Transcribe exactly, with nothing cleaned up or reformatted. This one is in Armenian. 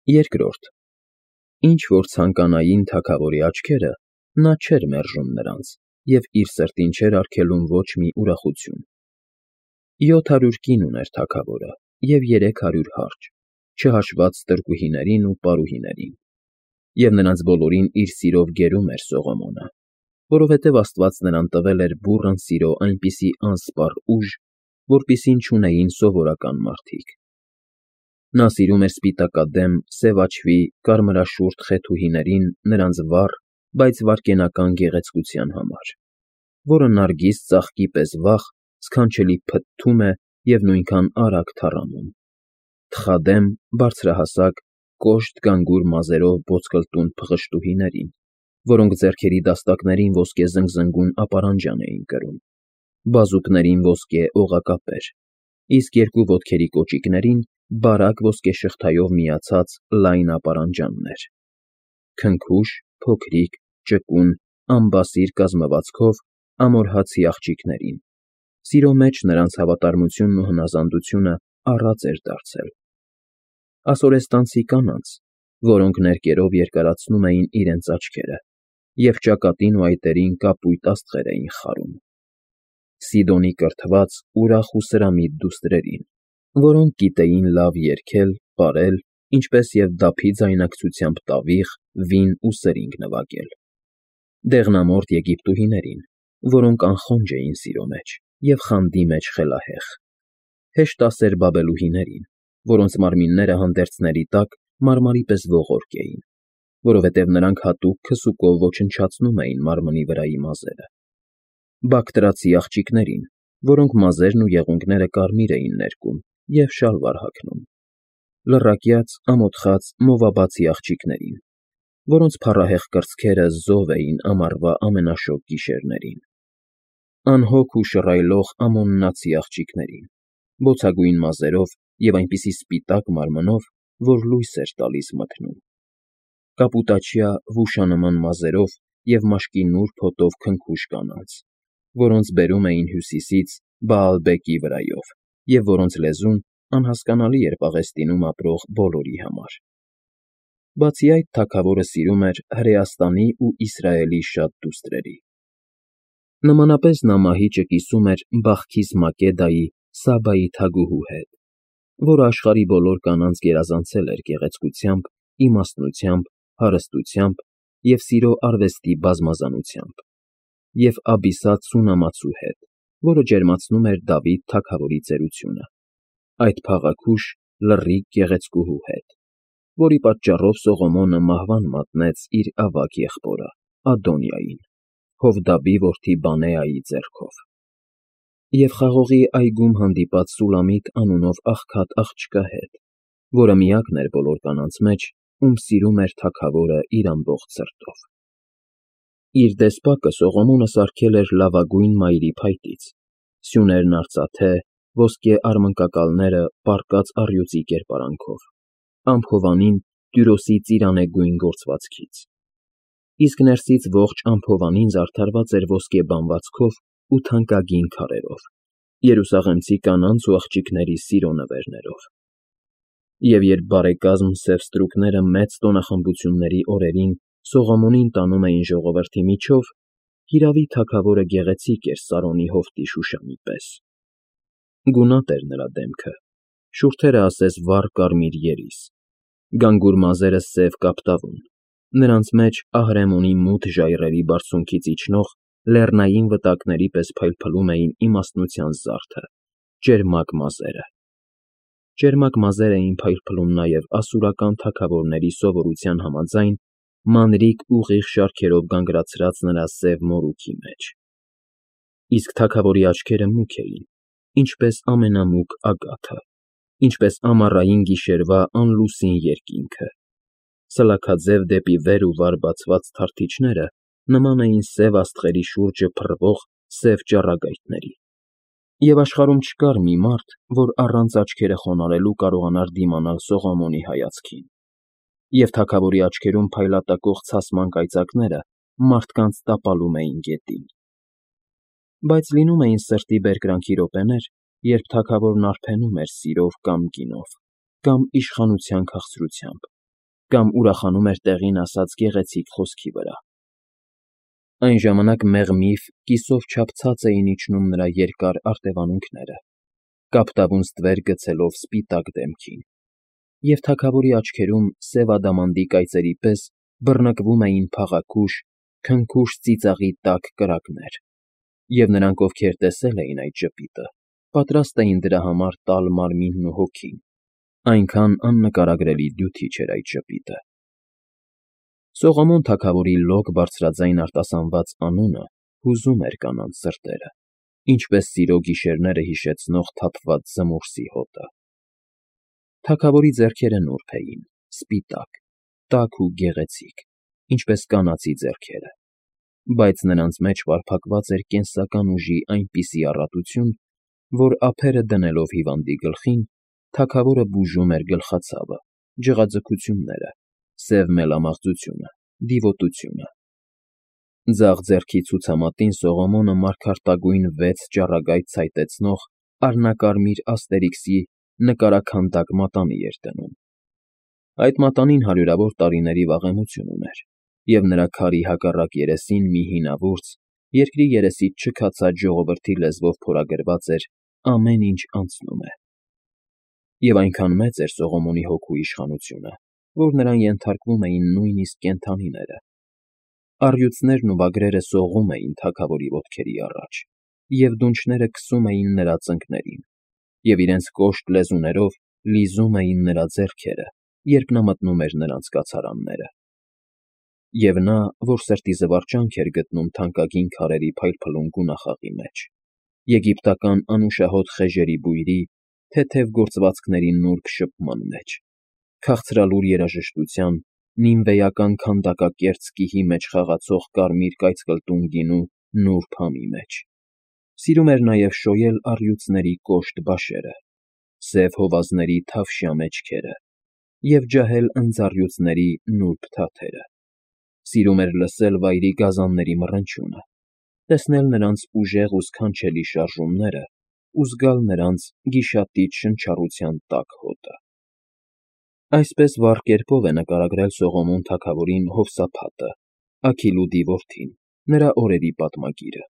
Երկրորդ. Ինչ որ ցանկանային թագավորի աչքերը, նա չէր մերժում նրանց և իր սրտին չէր արգելում ոչ մի ուրախություն. յոթ հարյուր կին ուներ թագավորը և երեք հարյուր հարճ, չհաշված տրկուհիներին ու պարուհիներին, և նրանց բոլորին իր սիրով գերում էր Սողոմոնը, որովհետև Աստված նրան տվել էր բուռն սիրո այնպիսի անսպառ ուժ, որպիսին չունեին սովորական մարդիկ. նա սիրում էր սպիտակադեմ, սև աչվի, կարմրաշուրթ խեթուհիներին նրանց վառ, բայց վայրկենական գեղեցկության համար, որը նարգիս ծաղկի պես վախ, սքանչելի փթթում է և նույնքան արագ թառամում, թխադեմ, բարձրահասակ, կոշտ գանգուր մազերով ոսկլտուն փղշտուհիներին, որոնք ձեռքերի դաստակներին ոսկե զնգզնգուն ապարանջան էին կրում, բազուկներին ոսկե օղակապեր, իսկ երկու ոտքերի կոճիկներին բարակ ոսկեշղթայով միացած լայն ապարանջաններ, քնքուշ, փոքրիկ, ճկուն, ամբասիր կազմվածքով ամորհացի աղջիկներին, սիրո մեջ նրանց հավատարմությունն ու հնազանդությունը առած էր դարձել, ասորեստանցի կանանց, որոնք ներկերով երկարացնում էին իրենց աչքերը և ճակատին ու այտերին կապույտ աստղեր էին խարում, Սիդոնի կրթված, ուրախ ու սրամիտ դուստրերին, որոնք գիտեին լավ երգել, պարել, ինչպես և դափի ձայնակցությամբ տավիղ, վին ու սրինգ նվագել, դեղնամորթ եգիպտուհիներին, որոնք անխոնջ էին սիրո մեջ և խանդի մեջ խելահեղ, հեշտասեր բաբելուհիներին, որոնց մարմինները հանդերձների տակ մարմարի պես ողորկ էին, որովհետև նրանք հատուկ քսուկով ոչնչացնում էին մարմնի վրայի մազերը, բակտրացի աղջիկներին, որոնք մազերն ու եղունգները կարմիր էին ներկում և շալվար հագնում, լռակյաց, ամոթխած մովաբացի աղջիկներին, որոնց փառահեղ կրծքերը զով էին ամառվա ամենաշոգ գիշերներին, անհոգ ու շռայլող ամոննացի աղջիկներին, բոցագույն մազերով և այնպիսի սպիտակ մարմնով, որ լույս էր տալիս մթնում, կապուտաչյա վուշանման մազերով և մաշկի նուրբ հոտով քնքուշ կանանց, որոնց բերում էին հյուսիսից Բաալբեկի վրայով և որոնց լեզուն անհասկանալի էր Պաղեստինում ապրող բոլորի համար. Բացի այդ, թագավորը սիրում էր Հրեաստանի ու Իսրայելի շատ դուստրերի. նմանապես նա մահիճը կիսում էր Բախքիս Մակեդայի Սաբայի թագուհու հետ, որը աշխարհի բոլոր կանանց գերազանցել էր գեղեցկությամբ, իմաստնությամբ, հարստությամբ և սիրո արվեստի բազմազանությամբ, և Աբիսատ Սունամացու հետ, որը ջերմացնում էր Դավիթ թագավորի ծերությունը, այդ փաղաքուշ, լռիկ գեղեցկուհու հետ, որի պատճառով Սողոմոնը մահվան մատնեց իր ավագ եղբորը՝ Ադոնիային, Հովդաբի որդի Բանեայի ձեռքով, և խաղողի այգում հանդիպած Սուլամիտ անունով աղքատ աղջկա հետ, որը միակն էր բոլոր կանանց մեջ, ում սիրում էր թագավորը իր ամբողջ սրտով։ Իր դեսպակը Սողոմոնը սարքել էր լավագույն մայրի փայտից, սյուներն արծաթե, ոսկե արմնկակալները պառկած առյուծի կերպարանքով, ամփովանին տյուրոսի ծիրանե գույն գործվածքից, իսկ ներսից ողջ ամփովանին զարդարված էր ոսկե բանվածքով ու թանկագին քարերով, երուսաղեմցի կանանց ու աղջիկների սիրո նվերներով։ Եվ երբ բարեկազմ սև ստրուկները մեծ տոնախմբությունների օրերին Սողոմոնին տանում էին ժողովրդի միջով, հիրավի, թագավորը գեղեցիկ էր Սարոնի հովտի Շուշանի պես. գունատ էր նրա դեմքը, շուրթերը ասես վառ կարմիր երիս, գանգուր մազերը սև կապտավուն, նրանց մեջ Ահրեմոնի մութ ժայռերի բարձունքից իջնող լեռնային վտակների պես փայլփլում էին իմաստնության զարդը, ճերմակ մազերը։ Ճերմակ մազեր էին փայլփլում նաև ասորական թագավորների սովորության համաձայն մանրիկ ուղիղ շարքերով գանգրացրած նրա սև մորուքի մեջ, իսկ թագավորի աչքերը մուգ էին, ինչպես ամենամուգ ագաթը, ինչպես ամառային գիշերվա անլուսին երկինքը, սլաքաձև դեպի վեր ու վար բացված թարթիչները նման էին սև աստղերի շուրջը փռվող սև ճառագայթների, և աշխարհում չկար մի մարդ, որ առանց աչքերը խոնարհելու կարողանար դիմանալ Սողոմոնի հայացքին, և թագավորի աչքերում փայլատակող ցասման կայծակները մարդկանց տապալում էին գետին։ Բայց լինում էին սրտի բերկրանքի րոպեներ, երբ թագավորն արբենում էր սիրով կամ գինով, կամ իշխանության քաղցրությամբ, կամ ուրախանում էր տեղին ասած գեղեցիկ խոսքի վրա։ Այն ժամանակ մեղմիվ կիսով չափ ցած էին իջնում նրա երկար արտևանունքները, կապտավուն ստվեր գցելով սպիտակ դեմքին, և թագավորի աչքերում սև ադամանդի կայծերի պես բռնկվում էին փաղաքուշ, քնքուշ ծիծաղի տաք կրակներ, և նրանք, ովքեր տեսել էին այդ ժպիտը, պատրաստ էին դրա համար տալ մարմինն ու հոգին, այնքան աննկարագրելի դյութիչ էր այդ ժպիտը։ Սողոմոն թագավորի լոկ բարձրաձայն արտասանված անունը հուզում էր կանանց սրտերը, ինչպես սիրո գիշերները հիշեցնող թափված զմուրսի հոտը։ Թագավորի ձեռքերը նուրբ էին, սպիտակ, տաք ու գեղեցիկ, ինչպես կանացի ձեռքերը, բայց նրանց մեջ պարփակված էր կենսական ուժի այնպիսի առատություն, որ ափերը դնելով հիվանդի գլխին, թագավորը բուժում էր գլխացավը, ջղաձգությունները, սև մելամաղձությունը, դիվոտությունը։ Ձախ ձեռքի ցուցամատին Սողոմոնը մարգարտագույն վեց ճառագայթ ցայտեցնող առնակարմիր աստերիքսի նկարաքանդակ մատանի էր դնում։ Այդ մատանին հարյուրավոր տարիների վաղեմություն ուներ, և նրա քարի հակառակ երեսին մի հինավուրց, երկրի երեսից չքացած ժողովրդի լեզվով փորագրված էր «Ամեն ինչ անցնում է»։ Եվ այնքան մեծ էր Սողոմոնի հոգու իշխանությունը, որ նրան ենթարկվում էին նույնիսկ կենդանիները։ Առյուծներն ու վագրերը սողում էին թագավորի ոտքերի առաջ, և դունչները քսում էին նրա ծնկներին, և իրենց կոշտ լեզուներով լիզում էին նրա ձեռքերը, երբ նա մտնում էր նրանց կացարանները։ Եվ նա, որ սրտի զվարճանք էր գտնում թանկագին քարերի փայլփլուն գունախաղի մեջ, եգիպտական անուշահոտ խեժերի բույրի, թեթև գործվածքների նուրբ շփման մեջ, քաղցրալուր երաժշտության, նինվեական քանդակակերտ սկիհի մեջ խաղացող կարմիր կայծկլտուն գինու նուրբ համի մեջ, սիրում էր նաև շոյել առյուծների կոշտ բաշերը, սև հովազների թավշյա մեջքերը և ջահել ընձառյուծների նուրբ թաթերը, սիրում էր լսել վայրի գազանների մռնչյունը, տեսնել նրանց ուժեղ ու սքանչելի շարժումները ու զգալ նրանց գիշատիչ շնչառության տաք հոտը։ Այսպես վառ կերպով է նկարագրել Սողոմոն թագավորին Հովսափատը, Աքիլուդի որդին, նրա օրերի պատմագիրը։